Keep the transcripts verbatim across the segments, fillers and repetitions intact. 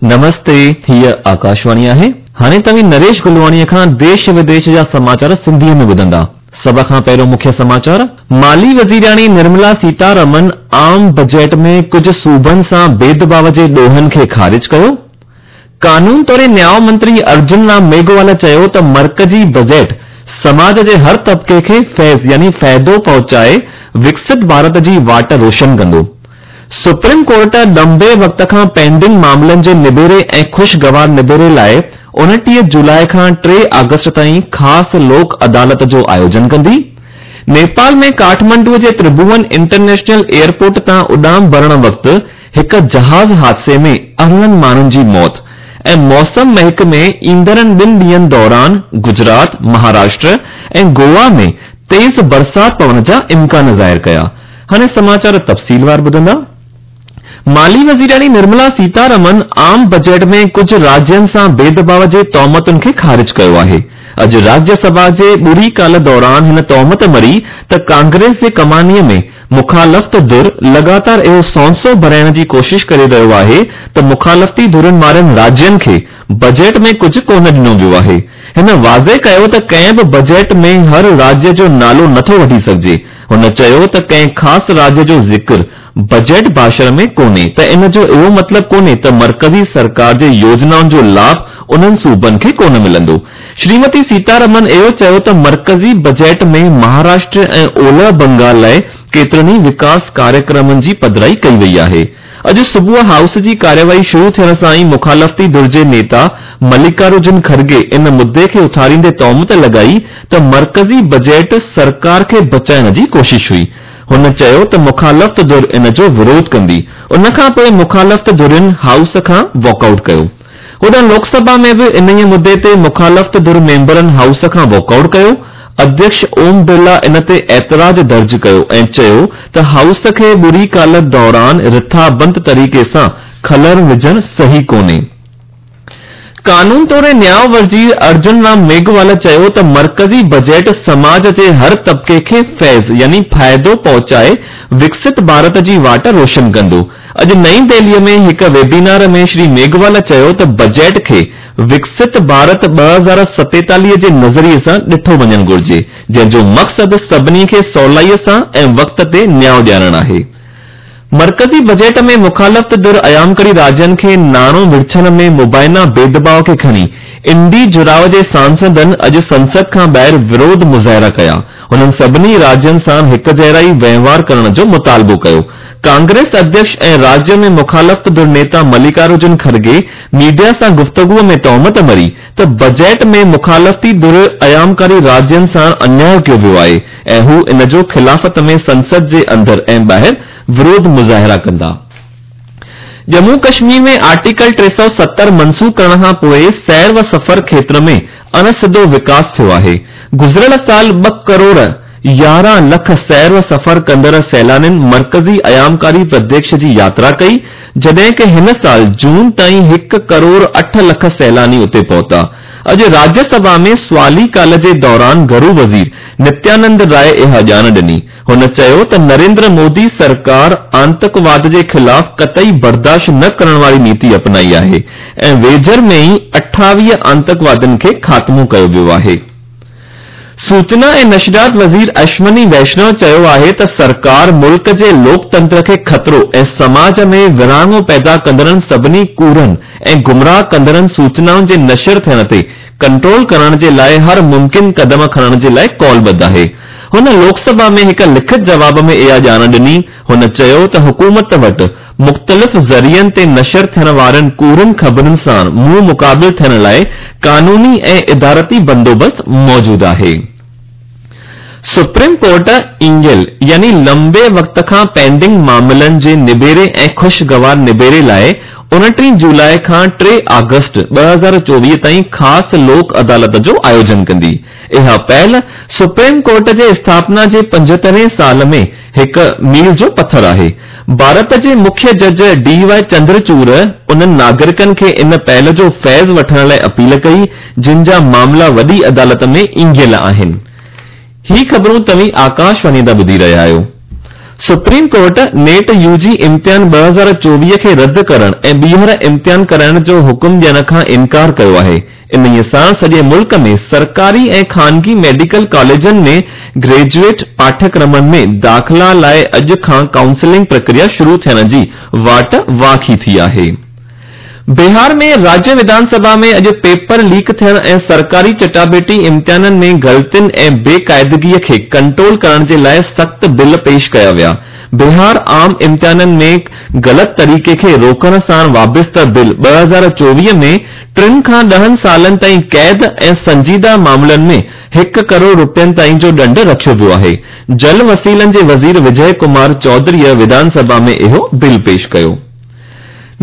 नमस्ते, हीअ आकाशवाणी आहे। हाणे तव्हीं नरेश गुलवाणीअ खां देश विदेश जा समाचार सिंधीअ में ॿुधंदा। सभ खां पहिरियों मुख्य समाचार। माली वज़ीराणी निर्मला सीतारमन आम बजट में कुझु सूबनि सां भेदभाव जे ॾोहनि खे ख़ारिज कयो। कानून तोड़े न्याय मंत्री अर्जुन राम मेघवाल चयो त मर्कज़ी बजट समाज जे हर तबिके खे फैज़ यानी फ़ाइदो पहुचाए विकसित भारत जी वाट रोशन कंदो। सुप्रीम कोर्ट लंबे वक़्त खां पेंडिंग मामलनि जे निबेरे ऐं ख़ुशगवार निबेरे लाइ उणिटीह जुलाई खां टे अगस्त ताईं ख़ासि लोक अदालत जो आयोजन कंदी। नेपाल में काठमांडू जे त्रिभुवन इंटरनेशनल एयरपोर्ट तां उॾाम भरण वक़्तु हिकु जहाज़ हादसे में अरिड़हं माण्हुनि जी मौत ऐं मौसम महकमे ईंदड़नि ॿिनि ॾींहंनि दौरान गुजरात, महाराष्ट्र ऐं गोवा में तेज़ बरसाति पवण जा इम्कान ज़ाहिर कया। हाणे समाचार तफ़सीलवार ॿुधंदा। माली वज़ीराणी निर्मला सीतारमन आम बजट में कुझु राज्यनि सां भेदभाव जे तोहमतुनि खे ख़ारिज कयो आहे। अॼु राज्यसभा जे ॿुरी काल दौरान हिन तोहमत मरी त कांग्रेस जे कमानीअ में मुखालफ़त धुर लगातार इहो सौंसो भराइण जी कोशिश करे रहियो आहे त मुखालफ़ती धुरनि वारनि राज्यनि खे बजट में कुझु कोन ॾिनो वियो आहे। हिन वाज़े कयो त कंहिं बि बजट में हर राज्य जो नालो नथो वठी सघिजे। हुन चयो त कंहिं ख़ासि राज्य जो ज़िक्र बजट भाषण में कोन्हे त इन जो इहो मतिलबु कोन्हे त मर्कज़ी सरकार जे योजनाउनि जो लाभ उन्हनि सूबनि खे कोन मिलंदो। श्रीमती सीतारमन इहो चयो त मर्कज़ी बजट में महाराष्ट्र ऐं ओलह बंगाल लाइ केतिरनि ई विकास कार्यक्रमनि जी पधराई कई वई आहे। अॼु सुबुह हाउस जी कार्यवाही शुरू थियण सां ई मुखालफ़ती धुर जे नेता मल्लिकार्जुन खड़गे इन मुद्दे खे उथारींदे तोहमत लॻाई त मर्कज़ी बजट सरकार खे बचाइण जी कोशिश हुई। हुन चयो त मुखालफ़त धुर इन जो विरोध कंदी। उन खां पोइ मुखालफ़त धुरियुनि हाउस खां वॉकआउट कयो। होॾां लोकसभा में बि इन्हीअ मुद्दे ते मुखालफ़त धुर मेंबरनि हाउस खां वॉकआउट कयो। अध्यक्ष ओम बिरला इन ते एतिराज़ दर्ज कयो ऐं चयो त हाउस खे ॿुरी काल दौरान रिथाबंद तरीक़े सां खलर विझणु सही कोन्हे। कानून तोड़े न्याय वज़ीर अर्जुन राम मेघवाल चयो त मर्कज़ी बजट समाज जे हर तबिके खे फैज़ यानी फ़ाइदो पहुचाए विकसित भारत जी वाट रोशन कंदो। अॼु नई दिल्लीअ में हिकु वेबिनार में श्री मेघवाल चयो त बजट खे विकसित भारत ॿ हज़ार सतेतालीह जे नज़रिए सां ॾिठो वञणु घुरिजे, जंहिंजो मक़सदु सभिनी खे सवलाईअ सां ऐं वक़्त ते न्याय ॾियारणु आहे। मर्कज़ी बजट में मुखालफ़त धुर अयामकरी राज्यनि खे नाणो विरछण में मुबाइना भेदभाव खे खणी इंडी जुड़ाव जे सांसदनि अॼु संसद खां ॿाहिरि विरोध मुज़ाहिरा कया। हुननि सभिनी राज्यनि सां हिक जहिड़ा ई वहिंवार करण जो मुतालबो कयो। कांग्रेस अध्यक्ष ऐं राज्य में मुखालफ़त धुर नेता मल्लिकार्जुन खड़गे मीडिया सां गुफ़्तगू में तोहमत मरी त बजट में मुखालफ़ती धुर अयामकारी राज्यनि सां अन्याय कयो वियो आहे ऐं हू इन जो ख़िलाफ़त में संसद जे अंदरि ऐं ॿाहिरि विरोध मुज़ाहिरा कंदा। जम्मू कश्मीर में आर्टिकल टे सौ सत्तर मनसूख करण खां पोइ सैर व सफ़र क्षेत्र में अणसिधो विकास थियो आहे। गुज़िरियल साल ॿ करोड़ यारहं लख सैर व सफ़र कंदड़ सैलानियुनि मर्कज़ी अयामकारी प्रदेश जी यात्रा कई, जॾहिं की हिन साल जून ताईं हिकु करोड़ अठ लख सैलानी उते पहुता। अॼु राज्यसभा में सुवाली काल जे दौरान घरू वज़ीर नित्यानंद राय इहा ॼाण ॾिनी। हुन चयो त नरेंद्र मोदी सरकार आंतकवाद जे ख़िलाफ़ कतई बर्दाश्त न करण वारी नीति अपनाई आहे ऐं वेझर में ई अठावीह आंतकवादियुनि खे ख़ात्मो कयो वियो आहे। सूचना ऐं नशरियात वज़ीर अश्वनी वैष्णव चयो आहे त सरकार मुल्क जे लोकतंत्र खे ख़तरो ऐं समाज में विराङो पैदा कंदड़नि सभिनी कूड़नि ऐं गुमराह कंदड़नि सूचनाउनि जे नशर थियण ते कंट्रोल करण जे लाइ हर मुमकिन कदम खणण जे लाइ कौलबद्ध आहे। हुन लोकसभा में हिकु लिखित जवाब में इहा ॼाण ॾिनी। हुन चयो त हुकूमत वटि मुख़्तलिफ़ ज़रियनि ते नशर थियण वारनि कूड़नि ख़बरुनि सां मुंहुं मुक़ाबिल थियण लाइ कानूनी ऐं इदारती बंदोबस्तु मौजूदु आहे। सुप्रीम कोर्ट ईंगियल यानी लंबे वक़्त खां पेंडिंग मामलनि जे निबेरे ऐं ख़ुशगवार निबेरे लाइ उणिटीह जुलाई खां टे अगस्त ॿ हज़ार चोवीह ताईं ख़ासि लोक अदालत जो आयोजन कंदी। इहा पहल सुप्रीम कोर्ट जे स्थापना जे पंजहतरहें साल में हिकु मील जो पथर आहे। भारत जे मुख्य जज डी वाई चंद्रचूड़ उन्हनि नागरिकनि खे इन पहल जो फैज़ वठण लाइ अपील कई जिन जा मामला वॾी अदालत में ईंगियल आहिनि। ही ख़बरूं तव्हीं आकाशवाणी तां ॿुधी रहिया आहियो। Supreme court NEET UG امتحان ٻه هزار چوويهه کي رد ڪرڻ ۽ ٻيهر امتحان ڪرائڻ جو حڪم ڏيڻ کان انڪار ڪيو آهي. انهيء سان سڄي ملڪ ۾ سرڪاري ۽ خانگي ميڊيڪل ڪاليجن ۾ گريجوئيٽ پاٺيڪرمن ۾ داخلا لاء اڄ کان ڪائونسلنگ پرڪريا شروع ٿيڻ جي واٽ واکي ٿي آهي. بهار ۾ راجيه وڌان سڀا ۾ اڄ پيپر ليڪ ٿيڻ ۽ سرڪاري چٽاڀيٽي امتحانن ۾ غلطين ۽ بي قاعدگيء کي ڪنٽرول ڪرڻ جي لاء سخت بل پيش ڪيا ويا. بهار عام امتحانن ۾ غلط طريقي کي روڪڻ سان وابسته بل ٻه هزار چوويهه ۾ ٽن کان ڏهن سالن تائين قيد ۽ سنجيده معاملن ۾ هڪ ڪروڙ رپين تائين جو ڏنڊ رکيو ويو آهي. جل وسيلن جي وزير وجي ڪمار چوڌريء وڌان سڀا ۾ اهو بل پيش ڪيو.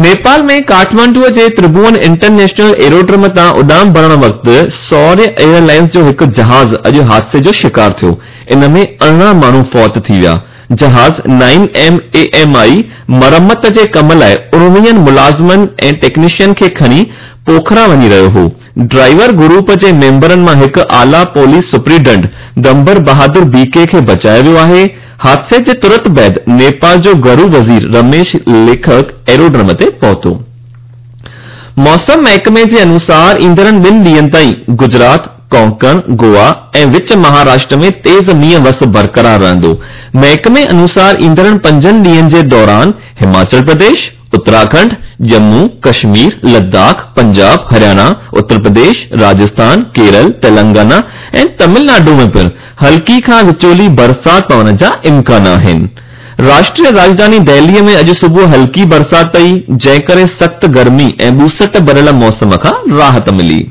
نيپال ۾ ڪاٺمانڊوء جي ترڀون انٽرنيشنل ايروڊرم تان اڏام ڀرڻ وقت سوريه ايئرلائنز جو هڪ جهاز اڄ حادثي جو شڪار ٿيو. ان ۾ ارڙهن ماڻهو فوت ٿي ويا. جهاز nine M A M I مرمت جي ڪم لاء اڻويهن ملازمن ۽ ٽيڪنيشن کي کڻي پوکرا وڃي رهيو هو. ڊرائيور گروپ جي ميمبرن مان هڪ اعليٰ پوليس سپرنٽينڊنٽ دمبر بهادر بي ڪي کي بچايو ويو آهي. حادثي جي ترت بعد نيپال جو گهرو وزير رميش ليکڪ ايروڊرم تي پهتو. موسم محڪمي جي انوسار ايندڙن ٻن ڏينهن تائين گجرات، ڪونڪڻ، گوا ۽ وچ مهاراشٽر ۾ تيز مينهن وس برقرار رهندو. محڪمي انوسار ايندڙن پنجن ڏينهن جي دوران هماچل پرديش، اتراکنڊ، ڄمون، ڪشمير، لداخ، پنجاب، هرياڻا، اتر پرديش، راجسٿان، ڪيرل، تيلنگانا ۽ تامل ناڊو ۾ پڻ هلڪي کان وچولي برسات پوڻ جا امڪان آهن. راشٽريه راڄڌاني دهليء ۾ اڄ صبح هلڪي برسات پئي، جنهن ڪري سخت گرمي ۽ ٻوسٽ ڀريل موسم کان راحت ملي.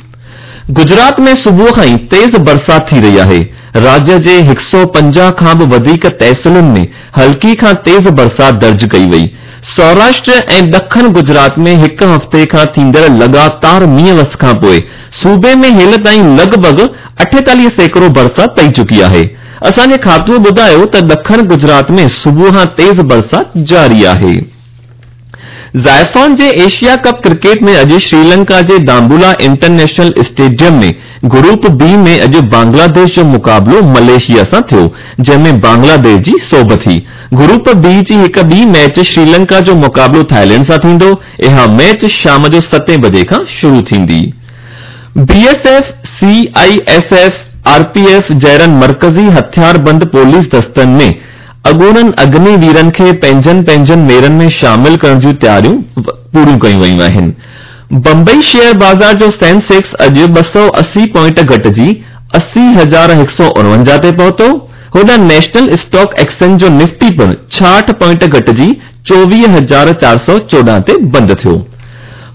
گجرات ۾ صبح کان ئي تيز برسات ٿي رهي آهي. راجيه جي هڪ سؤ پنجاهه کان به وڌيڪ تحصيلن ۾ هلڪي کان تيز برسات درج ڪئي وئي. سوراشٽر ۽ ڏکڻ گجرات ۾ هڪ هفتي کان ٿيندڙ لڳاتار مينهن وس کانپوء صوبي ۾ هيل تائين لڳ ڀڳ اٺيتاليهه سيڪڙو برسات پئي چڪي آهي. اسان جي کاتوء ٻڌايو ته ڏکڻ گجرات ۾ صبح کان تيز برسات جاري آهي. زائفون جي ايشيا ڪپ ڪرڪيٽ ۾ اڄ شريلنڪا جي دامبولا انٽرنيشنل اسٽيڊيم ۾ گروپ بي ۾ اڄ بنگلاديش جو مقابلو ملائيشيا سان ٿيو، جنهن ۾ بنگلاديش جي سوڀ ٿي. گروپ بي جي هڪ ٻي ميچ شريلنڪا جو مقابلو ٿائيلينڊ سان ٿيندو. اها ميچ شام جو ستين بجي کان شروع ٿيندي. B S F, C I S F, R P F جهڙن مرڪزي هٿياربند پوليس دستن ۾ اڳوڻن اگني ويرن کي پنهنجن پنهنجن ميڙن ۾ شامل ڪرڻ جون تياريون پوريون ڪيون ويون آهن. بمبئي شيئر بازار جو سينسيڪس اڄ ٻه سؤ اسي پوائنٽ گهٽجي اسي هزار هڪ سؤ اڻونجاهه تي پهتو. هوڏانهن نيشنل اسٽاڪ ايڪسچينج جو نفٽي پڻ ڇاهٺ پوائنٽ گهٽجي چوويهه هزار چار سؤ چوڏهن تي بند ٿيو.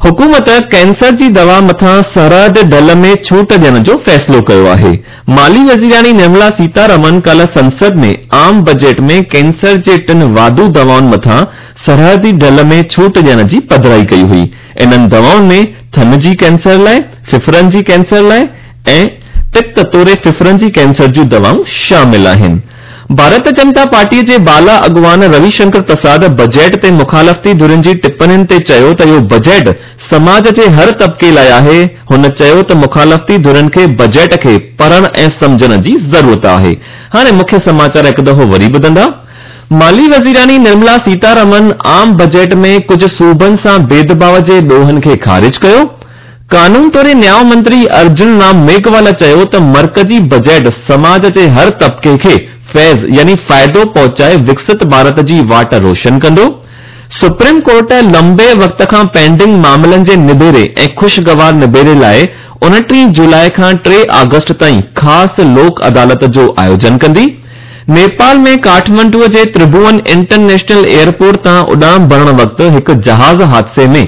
حڪومت ڪينسر جي دوا مٿان سرحد ڍل ۾ ڇوٽ ڏيڻ جو فيصلو ڪيو آهي. مالي وزيراڻي نرملا سيتارمن ڪالهه سنسد ۾ عام بجيٽ ۾ ڪينسر جي ٽن واڌو دوائن مٿان سرحدي ڍل ۾ ڇوٽ ڏيڻ جي پڌرائي ڪئي هئي. انهن دوائن ۾ ٿڃ جي ڪينسر لاء، ڦڦڙن جي ڪينسر لاء ۽ پت توڙي ڦڦڙن جي ڪينسر جون دوائون شامل آهن. ڀارت جنتا پارٽيء جي بالا اڳواڻ روي شنڪر پرساد بجيٽ تي مخالفتي ڌرين جي ٽپڻين تي چيو ته اهو بجيٽ سماج جي هر طبقي لاء آهي. هن چيو ته مخالفتي ڌرين کي بجيٽ کي پڙهڻ ۽ سمجهڻ جي ضرورت آهي. هاڻي مکيه سماچار هڪ دفعو وري ٻڌندا. مالي وزيراڻي نرملا سيتارمن عام بجيٽ ۾ ڪجهه صوبن سان ڀيدڀاء جي ڏوهن کي خارج ڪيو. قانون توڙي نياء منتري ارجن رام ميگهوالا چيو ته مرڪزي بجيٽ سماج جي هر طبقي کي فيض يعني فائدو پهچائي وڪست ڀارت جي واٽ روشن ڪندو. سپريم ڪورٽ لنبي وقت کان پينڊنگ معاملن جي نبيري ۽ خوشگوار نبيري لاء اڻٽيهه جولاء کان ٽي آگسٽ تائين خاص لوڪ عدالت جو آيوجن ڪندي. نيپال ۾ ڪاٺمانڊوء جي ترڀون انٽرنيشنل ايئرپورٽ تان اڏام ڀرڻ وقت هڪ جهاز حادثي ۾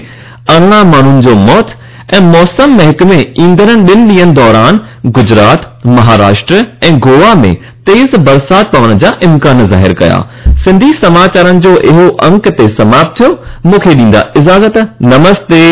ارڙهن ماڻهن جو موت ۽ موسم محڪمي ايندڙن ٻن ڏينهن دوران گجرات، مهاراشٽر ۽ گوا ۾ تيز برسات پوڻ جا امڪان ظاهر ڪيا. سنڌي سماچارن جو اهو انڪ هتي سماپت ٿيو. مون کي ڏيندا اجازت. نمستي.